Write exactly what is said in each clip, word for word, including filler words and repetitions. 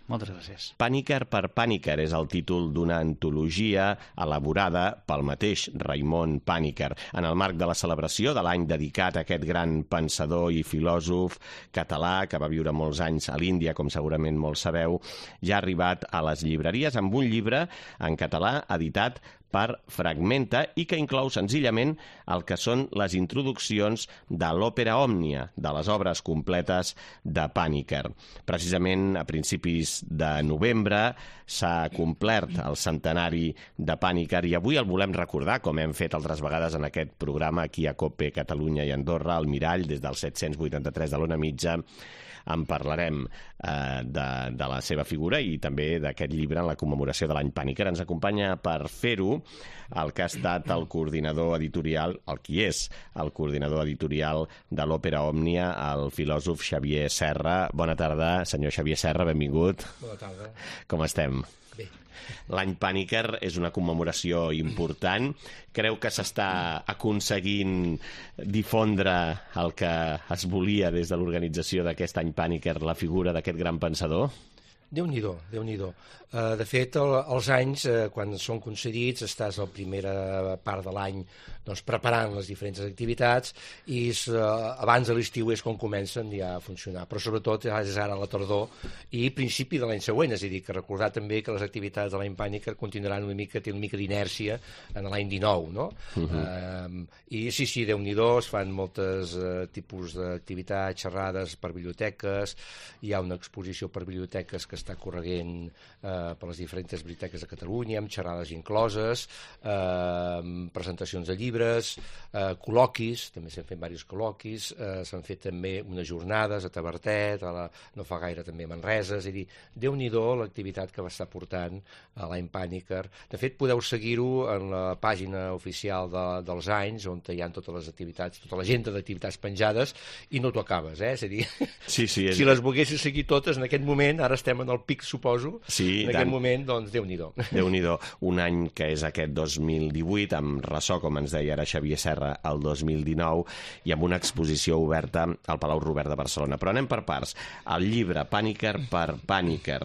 Moltes gràcies. Pàniker per Pàniker és el títol d'una antologia elaborada pel mateix Raimon Pàniker en el marc de la celebració de l'any dedicat a aquest gran pensador i filòsof català que va viure molts anys a l'Índia, com segurament molts sabeu, ja ha arribat a les llibreries amb un llibre en català editat per Fragmenta i que inclou senzillament el que són les introduccions de l'òpera òmnia, de les obres completes de Pàniker. Precisament a principis de novembre s'ha complert el centenari de Pàniker i avui el volem recordar, com hem fet altres vegades en aquest programa aquí a COPE Catalunya i Andorra, al Mirall, des del set-cents vuitanta-tres de l'Ona Mitja. En parlarem eh, de, de la seva figura i també d'aquest llibre en la commemoració de l'any Pàniker. Ens acompanya per fer-ho el que ha estat el coordinador editorial, el qui és el coordinador editorial de l'Òpera Òmnia, el filòsof Xavier Serra. Bona tarda, senyor Xavier Serra, benvingut. Bona tarda. Com estem? Bé. L'any Pàniker és una commemoració important. Creu que s'està aconseguint difondre el que es volia des de l'organització d'aquest any Pàniker, la figura d'aquest gran pensador? Déu-n'hi-do, Déu-n'hi-do. Uh, de fet, el, els anys, uh, quan són concedits, estàs a la primera part de l'any doncs, preparant les diferents activitats i és, uh, abans de l'estiu és quan comencen ja a funcionar. Però sobretot és ara a la tardor i principi de l'any següent, és a dir, que recordar també que les activitats de l'any Pàniker continuaran una mica, té una mica d'inèrcia en l'any dinou, no? Uh-huh. uh, I sí, sí, Déu-n'hi-do, es fan moltes uh, tipus d'activitats, xerrades per biblioteques, hi ha una exposició per biblioteques que està corregent eh, per les diferents biblioteques de Catalunya, amb xerrades incloses, eh, presentacions de llibres, eh, col·loquis, també s'han fet diversos col·loquis, eh, s'han fet també unes jornades a Tavertet, a la, no fa gaire també a Manresa, és a dir, Déu-n'hi-do l'activitat que va estar portant a l'any Pàniker. De fet, podeu seguir-ho en la pàgina oficial de, dels anys, on hi ha totes les activitats, tota l'agenda d'activitats penjades, i no t'ho acabes, eh? És a dir, sí, sí, és... si les volguessis seguir totes, en aquest moment, ara estem en el pic, suposo, sí, en aquest moment, doncs, Déu-n'hi-do. Déu-n'hi-do. Un any que és aquest dos mil divuit, amb ressò, com ens deia ara Xavier Serra, el dos mil dinou, i amb una exposició oberta al Palau Robert de Barcelona. Però anem per parts. El llibre Pàniker per Pàniker,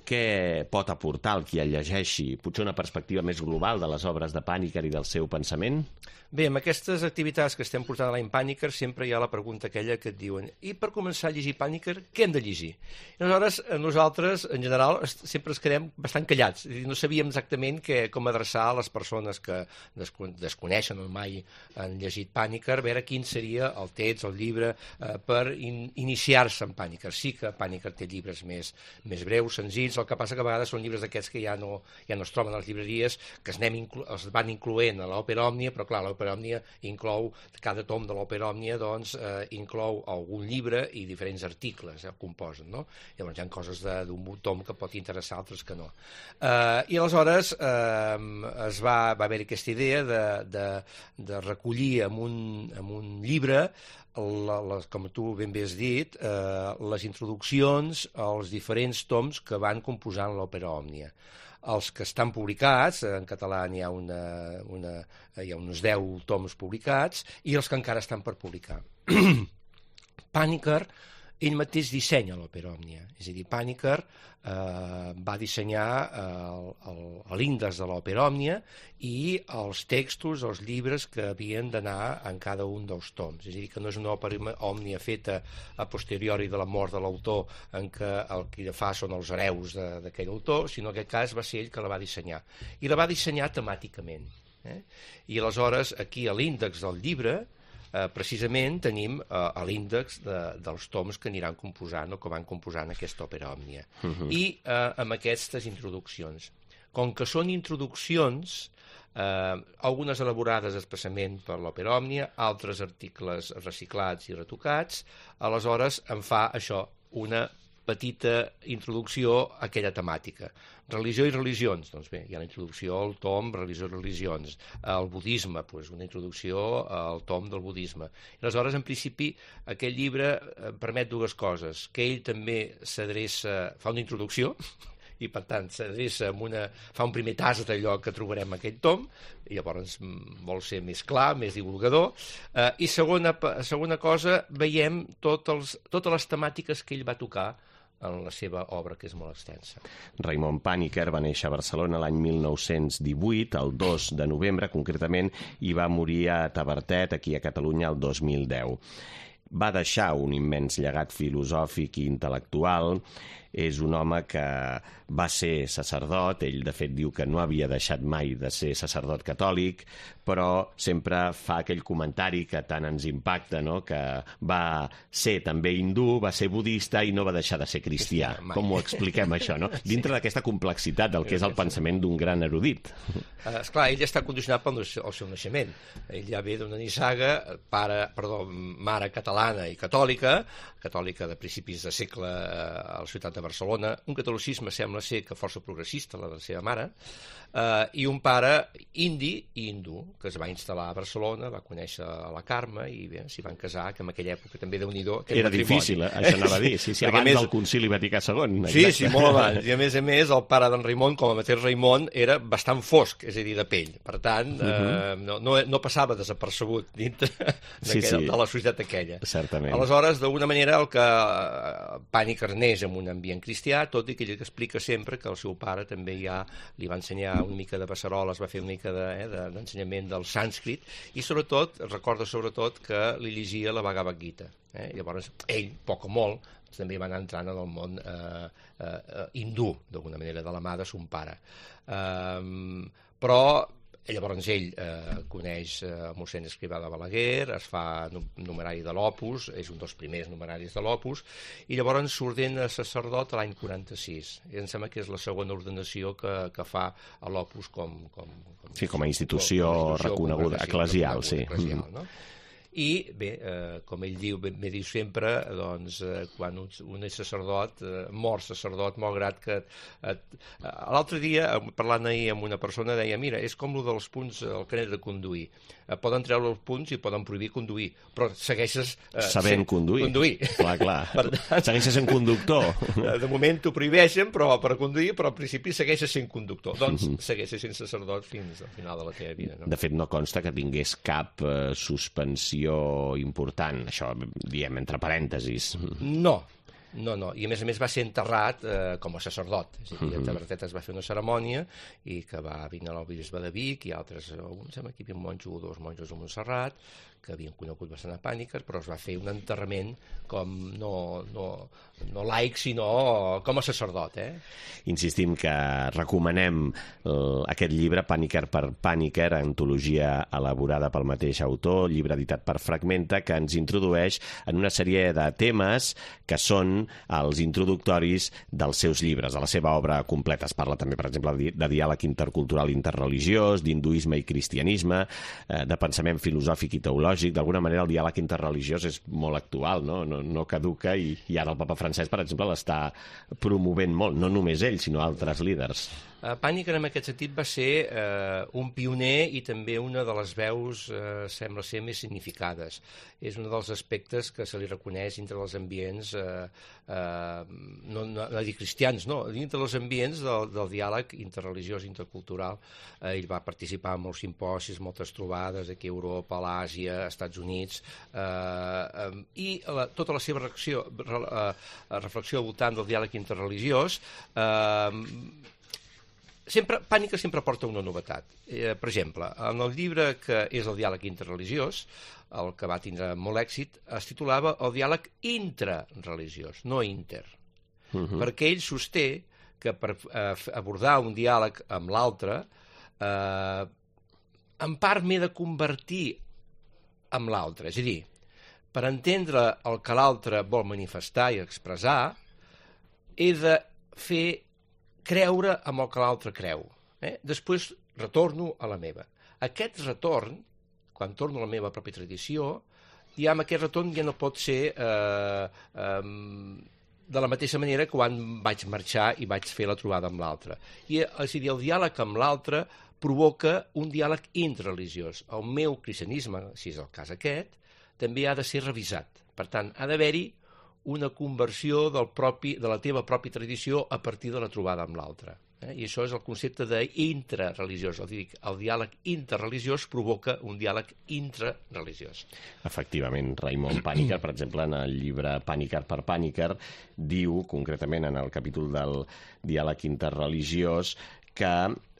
què pot aportar el qui el llegeixi? Potser una perspectiva més global de les obres de Pàniker i del seu pensament? Bé, amb aquestes activitats que estem portant a l'any Pàniker sempre hi ha la pregunta aquella que et diuen i per començar a llegir Pàniker, què hem de llegir? I aleshores, nosaltres, en general, sempre es quedem bastant callats. No sabíem exactament que, com adreçar a les persones que desconeixen o mai han llegit Pàniker, a veure quin seria el text, el llibre, eh, per in iniciar-se en Pàniker. Sí que Pàniker té llibres més, més breus, senzills, el que passa que a vegades són llibres d'aquests que ja no, ja no es troben a les llibreries, que es, anem es van incloent a l'Òpera Òmnia, però clar, l'Òpera Òmnia inclou, cada tom de l'Òpera Òmnia doncs, eh, inclou algun llibre i diferents articles eh, composen, no? Llavors hi ha coses d'un tom que pot interessar, altres que no. Eh, I aleshores eh, es va, va haver aquesta idea de, de, de recollir en un, en un llibre, la, la, com tu ben bé has dit, eh, les introduccions als diferents toms que van composant l'Òpera Òmnia. Els que estan publicats, en català n'hi ha, una, una, hi ha uns deu toms publicats, i els que encara estan per publicar. Pàniker, ell mateix dissenya l'Òpera Òmnia, és a dir, Pàniker eh, va dissenyar eh, l'índex de l'Òpera Òmnia i els textos, els llibres que havien d'anar en cada un dels toms. És a dir, que no és una òpera òmnia feta a posteriori de la mort de l'autor, en què el que fa són els hereus d'aquell autor, sinó que en aquest cas va ser ell que la va dissenyar. I la va dissenyar temàticament. Eh? I aleshores, aquí a l'índex del llibre, Eh, precisament tenim eh, l'índex de, dels toms que aniran composant o que van composant aquesta òpera òmnia. Uh-huh. I eh, amb aquestes introduccions. Com que són introduccions, eh, algunes elaborades expressament per l'òpera òmnia, altres articles reciclats i retocats, aleshores em fa això, una petita introducció a aquella temàtica. Religió i religions, doncs bé, hi ha la introducció al tom Religió i religions. El budisme, doncs una introducció al tom del budisme. I aleshores, en principi, aquest llibre permet dues coses, que ell també s'adreça, fa una introducció, i per tant s'adreça amb una, fa un primer tast d'allò que trobarem en aquest tom, i llavors vol ser més clar, més divulgador, eh, i segona, segona cosa, veiem tot els, totes les temàtiques que ell va tocar en la seva obra, que és molt extensa. Raimon Panikkar va néixer a Barcelona l'any mil nou-cents divuit, el dos de novembre concretament, i va morir a Tavertet, aquí a Catalunya, el dos mil deu. Va deixar un immens llegat filosòfic i intel·lectual. És un home que va ser sacerdot, ell de fet diu que no havia deixat mai de ser sacerdot catòlic, però sempre fa aquell comentari que tant ens impacta, no? Que va ser també hindú, va ser budista i no va deixar de ser cristià. Com ho expliquem, això, no? Dintre d'aquesta complexitat del que és el pensament d'un gran erudit. Uh, esclar, ell està condicionat pel el seu naixement. Ell ja ve d'una nissaga, pare, perdó, mare catalana i catòlica, catòlica de principis de segle a la ciutat de Barcelona, un catolicisme sembla ser que força progressista, la de la seva mare, eh, i un pare indi i hindú, que es va instal·lar a Barcelona, va conèixer a la Carme i bé, s'hi van casar, que en aquella època també Déu-n'hi-do... Era difícil, això anava a dir, sí, sí, abans més... del Concili Vaticà segon. Sí, exacte. Sí, molt abans. I a més a més, el pare d'en Raimon, com a mateix Raimon, era bastant fosc, és a dir, de pell. Per tant, uh -huh. eh, no, no, no passava desapercebut dintre sí, sí. de la societat aquella. Certament. Aleshores, d'alguna manera, el que Panikkar neix en un ambient cristià, tot i que ell explica sempre que el seu pare també ja li va ensenyar una mica de beceroles, va fer una mica d'ensenyament de, eh, del sànscrit, i sobretot, recorda sobretot que li llegia la Bhagavad Gita. Eh? Llavors, ell, poc o molt, també va anar entrant en el món eh, eh, hindú, d'alguna manera, de la mà de son pare. Eh, però llavors ell eh, coneix eh, el mossèn Escrivà de Balaguer, es fa numerari de l'Opus, és un dels primers numeraris de l'Opus, i llavors s'ordena sacerdot l'any quaranta-sis. I em sembla que és la segona ordenació que, que fa a l'Opus com, com, com... Sí, com a institució, com, com a institució reconeguda, eclesial, sí. Eclesial, no? I, bé, eh, com ell diu, bé, bé diu sempre, doncs, eh, quan un, un és sacerdot, eh, mor sacerdot, malgrat que... Eh, L'altre dia, parlant ahir amb una persona, deia, mira, és com el dels punts al carnet de conduir. Eh, poden treure els punts i poden prohibir conduir, però segueixes... Eh, Sabent conduir. conduir. Clar, clar. Per tant, segueixes sent conductor. De moment t'ho prohibeixen, però per conduir, però al principi segueixes sent conductor. Doncs uh -huh. segueixes sent sacerdot fins al final de la teva vida. No? De fet, no consta que tingués cap eh, suspensió important, això diem entre parèntesis. No, no, no, i a més a més va ser enterrat eh, com a sacerdot, és a dir, a Tavertet es va fer una cerimònia i que va vindre el bisbe de Vic i altres, un, sembla que hi havia un monjo o dos monjos a Montserrat que havien conegut bastant a Panikkar, però es va fer un enterrament com no, no, no laic, sinó com a sacerdot. Eh? Insistim que recomanem eh, aquest llibre, Panikkar per Panikkar, antologia elaborada pel mateix autor, llibre editat per Fragmenta, que ens introdueix en una sèrie de temes que són els introductoris dels seus llibres, de la seva obra completa. Es parla també, per exemple, de diàleg intercultural interreligiós, d'hinduisme i cristianisme, eh, de pensament filosòfic i teològic. D'alguna manera el diàleg interreligiós és molt actual, no, no, no caduca, i, i ara el papa Francesc, per exemple, l'està promovent molt, no només ell, sinó altres líders. Uh, Panikkar en aquest sentit va ser uh, un pioner i també una de les veus, uh, sembla ser, més significades. És un dels aspectes que se li reconeix dintre dels ambients, uh, uh, no, no, no dir cristians, no, dintre dels ambients del, del diàleg interreligiós, intercultural. Uh, ell va participar en molts simposis, moltes trobades aquí a Europa, a l'Àsia, als Estats Units, uh, um, i la, tota la seva reacció, re, uh, reflexió al voltant del diàleg interreligiós uh, Sempre, Panikkar sempre porta una novetat. Eh, per exemple, en el llibre que és el diàleg interreligiós, el que va tindre molt èxit, es titulava el diàleg intrareligiós, no inter. Uh-huh. Perquè ell sosté que per eh, abordar un diàleg amb l'altre, eh, en part m'he de convertir amb l'altre. És a dir, per entendre el que l'altre vol manifestar i expressar, he de fer creure amb el que l'altre creu. Eh? Després retorno a la meva. Aquest retorn, quan torno a la meva pròpia tradició, ja amb aquest retorn ja no pot ser eh, eh, de la mateixa manera que quan vaig marxar i vaig fer la trobada amb l'altre. I, és a dir, el diàleg amb l'altre provoca un diàleg interreligiós. El meu cristianisme, si és el cas aquest, també ha de ser revisat. Per tant, ha d'haver-hi una conversió del propi, de la teva pròpia tradició a partir de la trobada amb l'altre. Eh? I això és el concepte d'intrareligiós. El, el diàleg interreligiós provoca un diàleg intrareligiós. Efectivament, Raimon Panikkar, per exemple, en el llibre Panikkar per Panikkar, diu, concretament en el capítol del diàleg interreligiós, que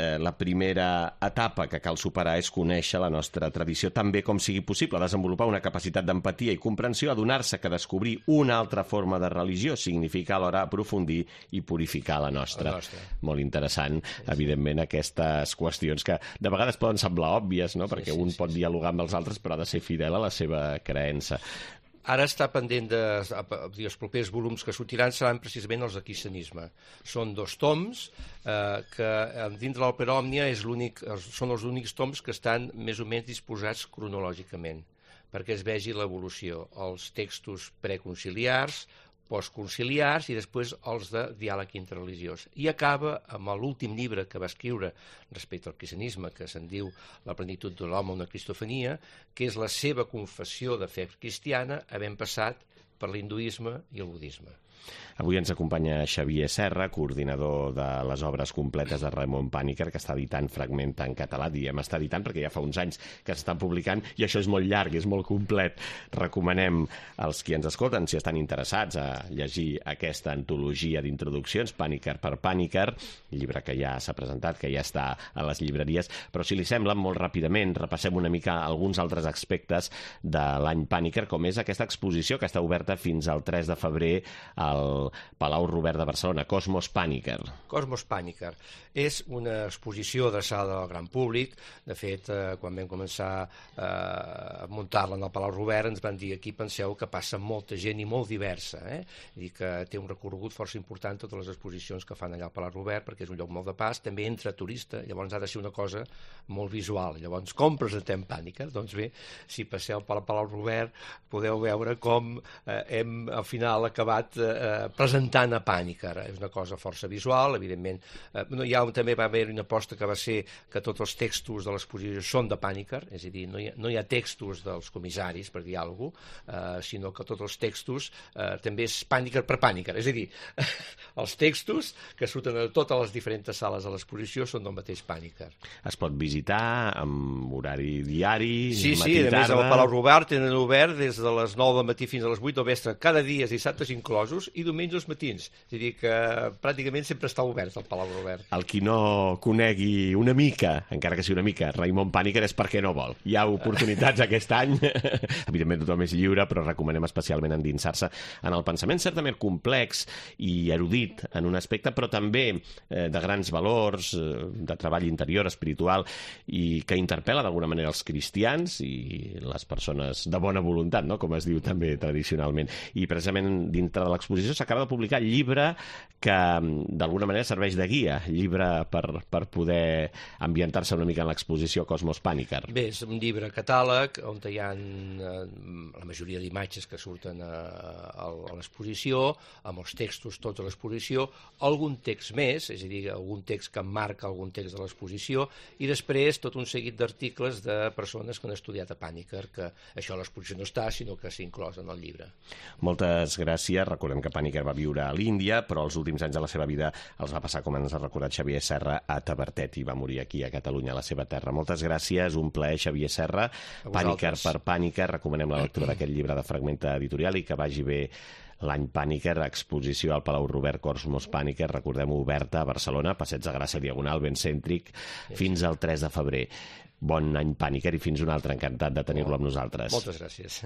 eh, la primera etapa que cal superar és conèixer la nostra tradició tan bé com sigui possible, desenvolupar una capacitat d'empatia i comprensió, adonar-se que descobrir una altra forma de religió significa alhora aprofundir i purificar la nostra. La nostra. Molt interessant, sí, sí. Evidentment, aquestes qüestions que de vegades poden semblar òbvies, no? Perquè sí, sí, un sí, pot sí. dialogar amb els altres però ha de ser fidel a la seva creença. Ara està pendent de... Els propers volums que sortiran seran precisament els de cristianisme. Són dos toms eh, que dintre l'Òpera Òmnia és l'únic, són els únics toms que estan més o menys disposats cronològicament, perquè es vegi l'evolució. Els textos preconciliars, postconciliars i després els de diàleg interreligiós. I acaba amb l'últim llibre que va escriure respecte al cristianisme, que se'n diu La plenitud de l'home, una cristofania, que és la seva confessió de fe cristiana havent passat per l'hinduisme i el budisme. Avui ens acompanya Xavier Serra, coordinador de les obres completes de Raimon Panikkar, que està editant Fragmenta en català. Diem està editant perquè ja fa uns anys que s'estan publicant i això és molt llarg, és molt complet. Recomanem als qui ens escolten, si estan interessats a llegir aquesta antologia d'introduccions, Panikkar per Panikkar, llibre que ja s'ha presentat, que ja està a les llibreries, però si li sembla, molt ràpidament repassem una mica alguns altres aspectes de l'any Panikkar, com és aquesta exposició que està oberta fins al tres de febrer al Palau Robert de Barcelona, Cosmos Panikkar. Cosmos Panikkar és una exposició adreçada al gran públic. De fet, eh, quan vam començar eh, a muntar-la en el Palau Robert, ens van dir aquí penseu que passa molta gent i molt diversa, eh? I que té un recorregut força important totes les exposicions que fan allà al Palau Robert, perquè és un lloc molt de pas, també entra turista, llavors ha de ser una cosa molt visual. Llavors, com presentem Panikkar? Doncs bé, si passeu pel Palau Robert podeu veure com eh, hem al final acabat eh, presentant a Panikkar. És una cosa força visual, evidentment. Eh, no, hi ha, també va haver una aposta que va ser que tots els textos de l'exposició són de Panikkar, és a dir, no hi ha, no hi ha textos dels comissaris, per dir alguna cosa, eh, sinó que tots els textos eh, també és Panikkar per Panikkar. És a dir, els textos que surten a totes les diferents sales de l'exposició són del mateix Panikkar. Es pot visitar amb horari diari, sí, matí, sí, a més tarda... al Palau Robert tenen obert des de les nou del matí fins a les vuit del vespre, cada dia, dissabtes inclosos, i diumenges matins. És a dir, que pràcticament sempre està obert el Palau Robert. El qui no conegui una mica, encara que sigui una mica, Raimon Panikkar és perquè no vol. Hi ha oportunitats aquest any, evidentment tothom és lliure, però recomanem especialment endinsar-se en el pensament certament complex i erudit en un aspecte, però també eh, de grans valors, eh, de treball interior, espiritual, i que interpel·la d'alguna manera els cristians i les persones de bona voluntat, no? Com es diu també tradicionalment. I precisament dintre de l'exposició s'acaba de publicar el llibre que d'alguna manera serveix de guia, llibre per, per poder ambientar-se una mica en l'exposició Cosmos Panikkar. Bé, és un llibre catàleg on hi ha eh, la majoria d'imatges que surten a, a, a l'exposició, amb els textos tots a l'exposició, algun text més, és a dir, algun text que marca algun text de l'exposició, i després tot un seguit d'articles de persones que han estudiat a Panikkar, que això a l'exposició no està, sinó que s'ha inclòs en el llibre. Moltes gràcies. Recordem que Panikkar va viure a l'Índia, però els últims anys de la seva vida els va passar, com ens ha recordat Xavier Serra, a Tavertet, i va morir aquí a Catalunya, a la seva terra. Moltes gràcies, un plaer, Xavier Serra. Panikkar per Panikkar, recomanem la lectura d'aquest llibre de Fragmenta Editorial i que vagi bé l'any Panikkar, exposició al Palau Robert Cosmos Panikkar, recordem-ho, oberta a Barcelona, Passeig de Gràcia Diagonal, ben cèntric, fins al tres de febrer. Bon any Panikkar i fins un altre, encantat de tenir-lo amb nosaltres. Moltes gràcies.